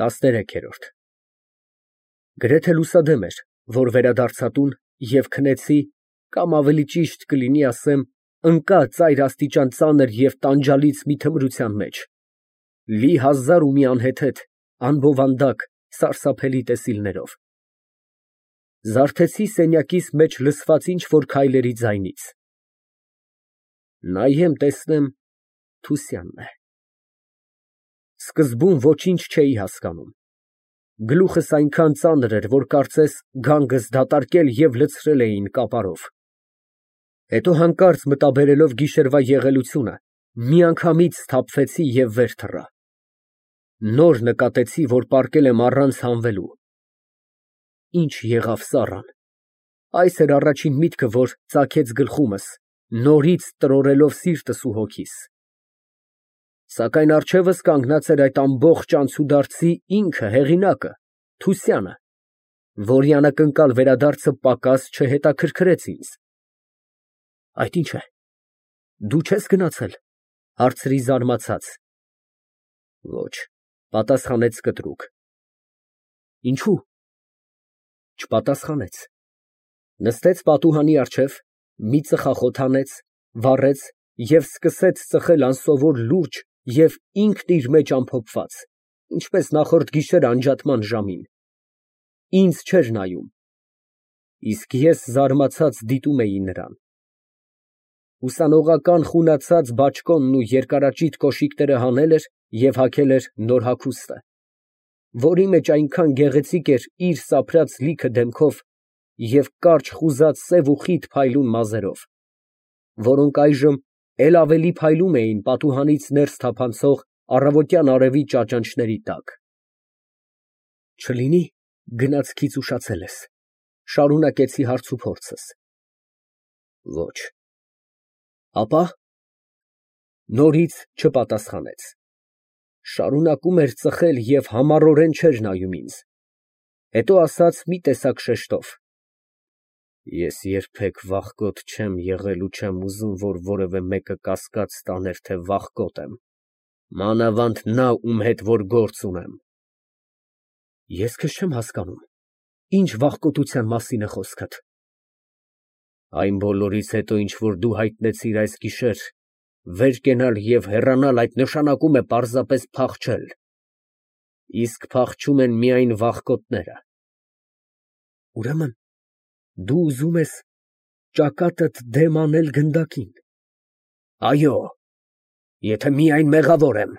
13-րդ Գրեթե լուսադեմ էր, որ վերադարձա տուն և քնեցի, կամ ավելի ճիշտ կլինի ասեմ, ընկա ծայրաստիճան ծանր և տանջալից մի թմրության մեջ, լի հազար ու մի անհեթեթ, անբովանդակ, սարսափելի տեսիլներով, զարթեցի սենյակիս մեջ լսված ինչ֊որ քայլերի ձայնից, նայեմ, տեսնեմ Թուսյանն է, սկզբում ոչինչ չէի հասկանում, գլուխս այնքան ծանր էր, որ կարծես գանգս դատարկել և լցրել էին կապարով, հետո հանկարծ մտաբերելով գիշերվա եղելությունը, միանգամից սթափվեցի և վեր թռա, նոր նկատեցի, որ պառկել եմ առանց հանվելու, ինչ եղավ Սառան, այս էր առաջին միտքը, որ ծագեց գլխումս, նորից տրորելով սիրտս ու հոգիս, սակայն առջևս կանգնած էր այդ ամբողջ անցուդարձի ինքը հեղինակը, Թուսյանը, որի անակնկալ վերադարձը պակաս չհետաքրքրեց ինձ։ Այդ ի՞նչ է, դու չե՞ս գնացել, հարցրի զարմացած։ Ոչ, պատասխանեց կտրուկ։ Ինչու՞։ Չպատասխանեց։ Նստեց պատուհանի առջև, մի ծխախոտ հանեց, վառեց և սկսեց ծխել անսովոր լուրջ և ինքն իր մեջ ամփոփված, ինչպես նախորդ գիշեր անջատման ժամին, ինձ չէր նայում, իսկ ես զարմացած դիտում էի նրան, ուսանողական խունացած բաճկոնն ու երկարաճիտ կոշիկները հանել էր և հագել էր նոր հագուստը, որի մեջ այնքան գեղեցիկ էր իր սափրած լիքը դեմքով և կարճ խուզած սև ու խիտ փայլուն մազերով, որոնք այժմ էլ ավելի փայլում էին պատուհանից ներս թափանցող առավոտյան արևի ճաճանճների տակ։ Չլինի գնացքից ուշացել ես, շարունակեցի հարցուփորձս։ Ոչ։ Ապա նորից չպատասխանեց։ Շարունակում էր ծխել և համառորեն չէր նայում ինձ։ Հետո ասաց մի տեսակ շեշտով. Ես երբեք վախկոտ չեմ եղել ու չեմ ուզում, որ որևէ մեկը կասկած տաներ, թե վախկոտ եմ, մանավանդ նա, ում հետ որ գործ ունեմ։ Ես քեզ չեմ հասկանում, ինչ վախկոտության մասին է խոսքդ։ Այն բոլորից հետո, ինչ որ դու հայտնեցիր այս գիշեր, վեր կենալ և հեռանալ այդ նշանակում է պարզապես փախչել, իսկ փախչում են միայն վախկոտները։ Ուրեմն դու ուզում ես ճակատդ դեմ անել գնդակին։ Այո, եթե միայն մեղավոր եմ։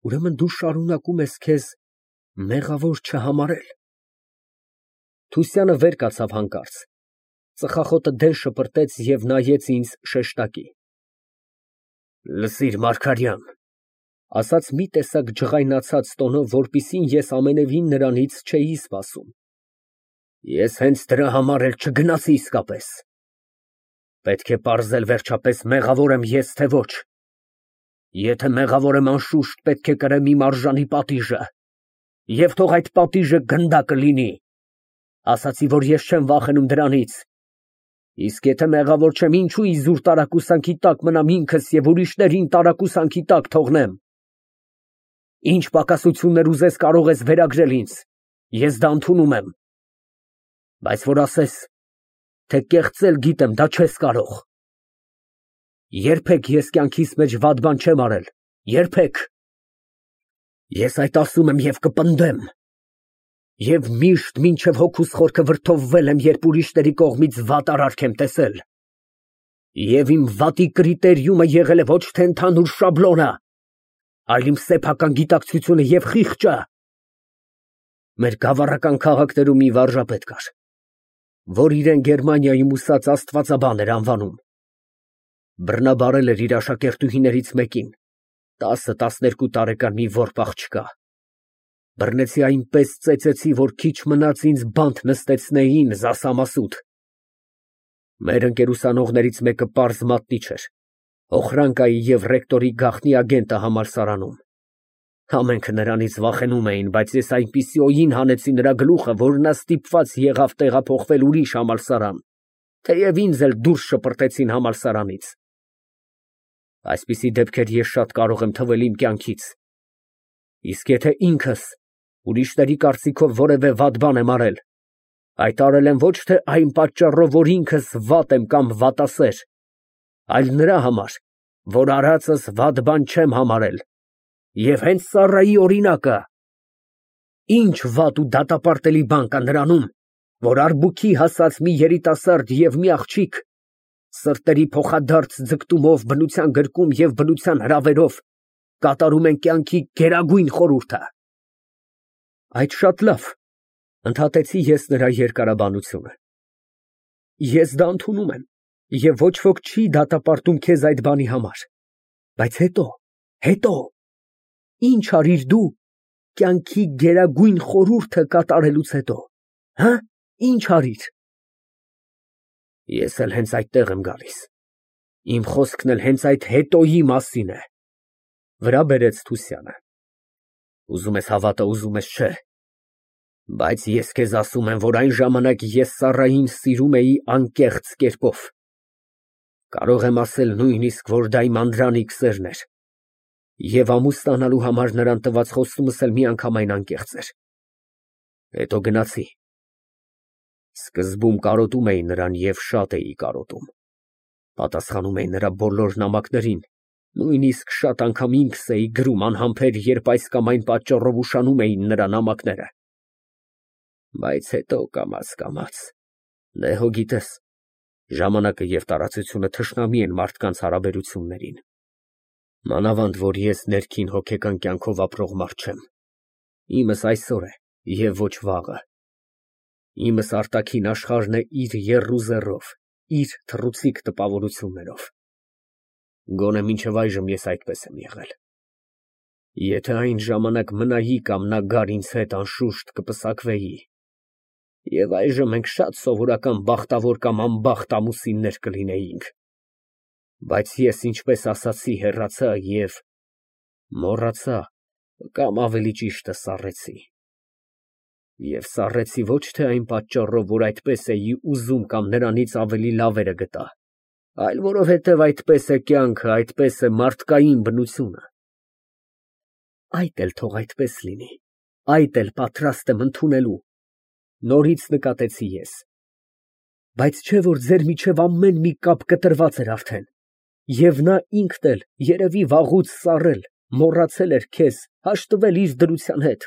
Ուրեմն դու շարունակում ես քեզ մեղավոր չհամարել։ Թուսյանը վեր կացավ հանկարծ, ծխախոտը դեն շպրտեց և նայեց ինձ շեշտակի։ Լսիր, Մարգարյան, ասաց մի տեսակ ջղայնացած տոնով, որպեսզի ես ամենևին նրանից չէի սպասում։ Ես հենց դրա համար էլ չգնացի իսկապես։ Պետք է պարզել վերջապես մեղավոր եմ ես, թե ոչ։ Եթե մեղավոր եմ, անշուշտ պետք է կրեմ իմ արժանի պատիժը, և թող այդ պատիժը գնդակը լինի։ Ասացի, որ ես չեմ վախենում դրանից։ Իսկ եթե մեղավոր չեմ, ինչու իզուր տարակուսանքի տակ մնամ ինքս և ուրիշներին տարակուսանքի տակ թողնեմ։ Ինչ պակասություններ ուզես կարող ես վերագրել ինձ, ես դա ընդունում եմ։ Բայց որ ասես, թե կեղծել գիտեմ, դա չես կարող։ Երբեք ես կյանքիս մեջ վատ բան չեմ արել, երբեք։ Ես այդ ասում եմ և կպնդեմ։ Եվ միշտ մինչև հոգուս խորքը վրդովվել եմ, երբ ուրիշների կողմից վատ արարք եմ տեսել։ Եվ իմ վատի կրիտերիումը եղել է ոչ թե ընդհանուր շաբլոնը, այլ իմ սեփական գիտակցությունը և խիղճը։ Մեր գավառական քաղաքներում մի վարժապետ կար, որ իրեն Գերմանիայում ուսած աստվածաբան էր անվանում։ Բռնաբարել էր իր աշակերտուհիներից մեկին, 10-12 տարեկան մի որբ աղջկա։ Բռնեցի այնպես ծեծեցի, որ քիչ մնաց ինձ բանտ նստեցնեին զասամասուտ։ Մեր ընկերուսանողներից մեկը պարզ մատնիչ էր, Օխրանկայի և ռեկտորի գաղտնի ագենտը համալսարանում։ Ամենքը նրանից վախենում էին, բայց ես այնպիսի օին հանեցի նրա գլուխը, որ նա ստիպված եղավ տեղափոխվել ուրիշ համալսարան, թեև ինձ էլ դուրս շպրտեցին համալսարանից։ Այսպիսի դեպքեր ես շատ կարող եմ թվել իմ կյանքից։ Իսկ եթե ինքս ուրիշների կարծիքով որևէ վատ բան եմ արել, այդ արել եմ ոչ թե այն պատճառով, որ ինքս վատ եմ կամ վատասեր, այլ նրա համար, որ արածս վատ բան չեմ համարել, և հենց Սառայի օրինակը, ինչ վատ ու դատապարտելի բան կա նրանում, որ արբուքի հասած մի երիտասարդ և մի աղջիկ սրտերի փոխադարձ ձգտումով բնության գրկում և բնության հրավերով կատարում են կյանքի գերագույն խորհուրդը։ Այդ շատ լավ, ընդհատեցի ես նրա երկարաբանությունը։ Ես դա ընդունում եմ, և ոչ ոք չի դատապարտում քեզ այդ բանի համար, բայց հետո, ինչ արիր դու կյանքի գերագույն խորհուրդը կատարելուց հետո, ինչ արիր։ Ես էլ հենց այդտեղ եմ գալիս, իմ խոսքն էլ հենց այդ հետոյի մասին է, վրա բերեց Թուսյանը։ Ուզում ես հավատա, ուզում ես չէ, բայց ես քեզ ասում եմ, որ այն ժամանակ ես Սառային սիրում էի անկեղծ կերպով, կարող եմ ասել նույնիսկ, որ դա իմ անդրանիկ սերն էր, և ամուսնանալու համար նրան տված խոստումս էլ միանգամայն անկեղծ էր։ Հետո գնացի, սկզբում կարոտում էի նրան և շատ էի կարոտում, պատասխանում էի նրա բոլոր նամակներին, նույնիսկ շատ անգամ ինքս էի գրում անհամբեր, երբ այս կամ այն պատճառով ուշանում էին նրա նամակները, բայց հետո կամաց, դե հո գիտես, ժամանակը և տարածությունը թշնամի են մարդկանց հարաբերություններին, մանավանդ որ ես ներքին հոգեկան կյանքով ապրող մարդ չեմ, իմս այսօր է և ոչ վաղը, իմս արտաքին աշխարհն է իր եռուզեռով, իր թռուցիկ տպավորություններով, գոնե մինչև այժմ ես այդպես եմ եղել, եթե այն ժամանակ մնայի կամ նա գար ինձ հետ, անշուշտ կպսակվեի, և այժմ մենք շատ սովորական բախտավոր կամ անբախտ ամուսիններ կլինեինք, բայց ես, ինչպես ասացի, հեռացա և մոռացա կամ ավելի ճիշտը սառեցի։ Եվ սառեցի ոչ թե այն պատճառով, որ այդպես էի ուզում կամ նրանից ավելի լավերը գտա, այլ որովհետև այդպես է կյանքը, այդպես է մարդկային բնությունը։ Այդ էլ թող այդպես լինի, այդ էլ պատրաստ եմ ընդունելու, նորից նկատեցի ես, բայց չէ՞ որ ձեր միջև ամեն մի կապ կտրված էր արդեն, և նա ինքն էլ երևի վաղուց սառել, մոռացել էր քեզ, հաշտվել իր դրության հետ,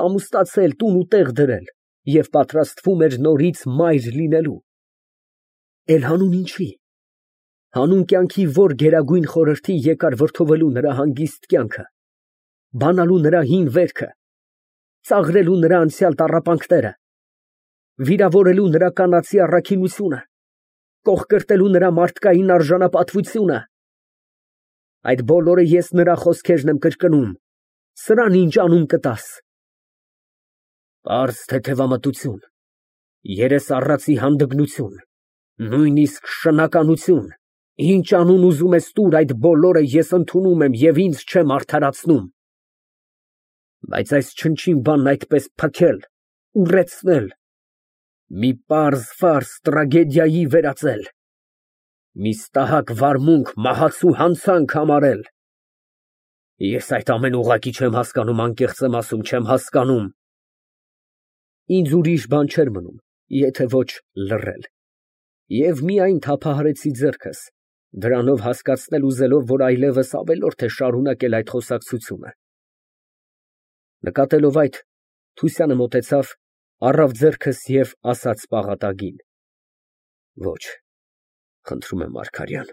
ամուսնացել, տուն ու տեղ դրել և պատրաստվում էր նորից մայր լինելու։ Էլ հանուն ինչի, հանուն կյանքի որ գերագույն խորհրդի եկար վրդովելու նրա հանգիստ կյանքը, բանալու նրա հին վերքը, ծաղրելու նրա անցյալ տառապանքները, վիրավորելու նրա կանացի առաքինությունը, կոխկրտելու նրա մարդկային արժանապատվությունը։ Այդ բոլորը ես նրա խոսքերն եմ կրկնում, սրան ինչ անուն կտաս։ Պարզ թեթևամտություն, երես առածի հանդգնություն, նույնիսկ շնականություն, ինչ անուն ուզում ես տուր, այդ բոլորը ես ընդունում եմ և ինձ չեմ արդարացնում։ Բայց այս չնչին բանն այդպես փքել, ուռեցնել, մի պարզ տրագեդիայի վերածել, մի ստահակ վարմունք, մահացու հանցանք համարել, ես այդ ամենը ուղղակի չեմ հասկանում, անկեղծ եմ ասում, չեմ հասկանում։ Ինձ ուրիշ բան չէր մնում, եթե ոչ լռել, և միայն թափահարեցի ձեռքս, դրանով հասկացնել ուզելով, որ այլևս ավելորդ է շարունակել այդ խոսակցությունը։ Նկատելով այդ, Թուսյանը մոտեցավ, առավ ձեռքս և ասաց պաղատագին. Ոչ, խնդրում եմ, Մարգարյան,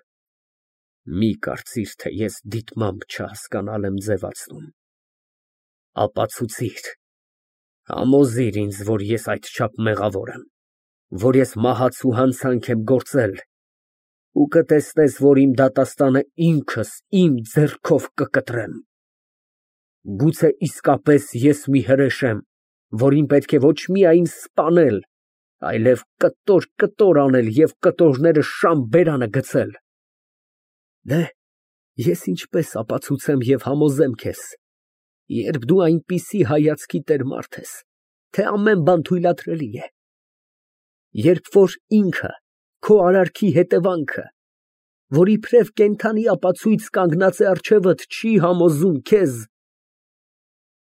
մի կարծիր, թե ես դիտմամբ չհասկանալ եմ ձևացնում, ապացուցիր, համոզիր ինձ, որ ես այդչափ մեղավոր եմ, որ ես մահացու հանցանք եմ գործել, ու կտեսնես, որ իմ դատաստանը ինքս իմ ձեռքով կկտրեմ։ Գուցե իսկապես ես մի հրեշ եմ, որին պետք է ոչ միայն սպանել, այլև կտոր անել և կտորները շան բերանը գցել։ Դե, ես ինչպես ապացուցեմ և համոզեմ քեզ, երբ դու այնպիսի հայացքի տեր մարդ ես, թե ամեն բան թույլատրելի է, երբ որ ինքը, քո արարքի հետևանքը, որ իբրև կենդանի ապացույց կանգնած է առջևդ, չի համոզում քեզ,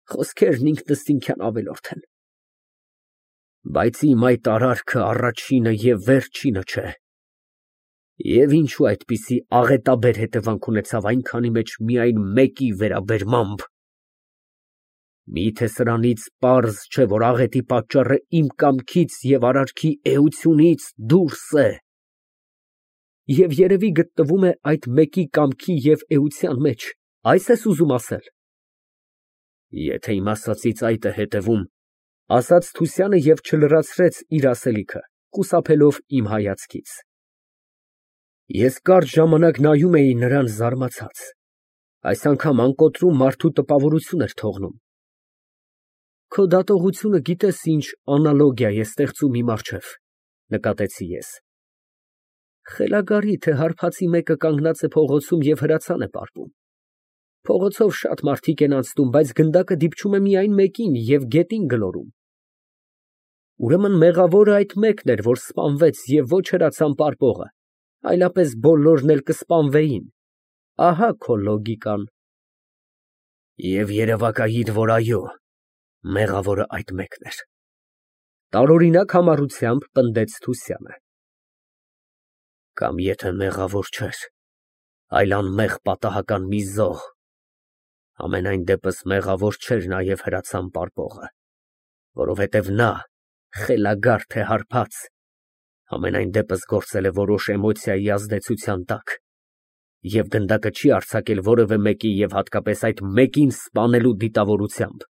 Խոսքերն ինքնըստինքյան ավելորդ են։ Բայց իմ այդ արարքը առաջինը և վերջինը չէ։ Եվ ինչու այդպիսի աղետաբեր հետևանք ունեցավ այնքանի մեջ միայն մեկի վերաբերմամբ։ Միթե սրանից պարզ չէ, որ աղետի պատճառը իմ կամքից և արարքի էությունից դուրս է։ Եվ երևի գտնվում է այդ մեկի կամքի և էության մեջ, ա՞յս ես ուզում ասել։ Եթե իմ ասածից այդ է հետևում, ասաց Թուսյանը և չլրացրեց իր ասելիքը, խուսափելով իմ հայացքից։ Ես կարճ ժամանակ նայում էի նրան զարմացած, այս անգամ անկոտրում մարդու տպավորություն էր թողնում։ Քո դատողությունը գիտես ինչ անալոգիա է ստեղծում իմ առջև, նկատեցի ես։ Խելագարի, թե հարբածի մեկը կանգնած է փողոցում և հրացան է պարպում։ Փողոցով շատ մարդիկ են անցնում, բայց գնդակը դիպչում է միայն մեկին և գետին գլորում։ Ուրեմն մեղավորը այդ մեկն էր, որ սպանվեց և ոչ հրացան պարպողը, այլապես բոլորն էլ կսպանվեին։ Ահա քո լոգիկան։ Եվ երևակայիր, որ այո, մեղավորը այդ մեկն էր, տարօրինակ համառությամբ պնդեց Թուսյանը։ Կամ եթե մեղավոր չէր, այլ անմեղ պատահական մի զոհ, համենայն դեպս մեղավոր չէր նաև հրացան պարպողը, որովհետև նա, խելագար թե հարբած, համենայն դեպս գործել է որոշ էմոցիայի ազդեցության տակ և գնդակը չի արձակել որևէ մեկի և հատկապես այդ մեկին սպանելու դիտավորությամբ։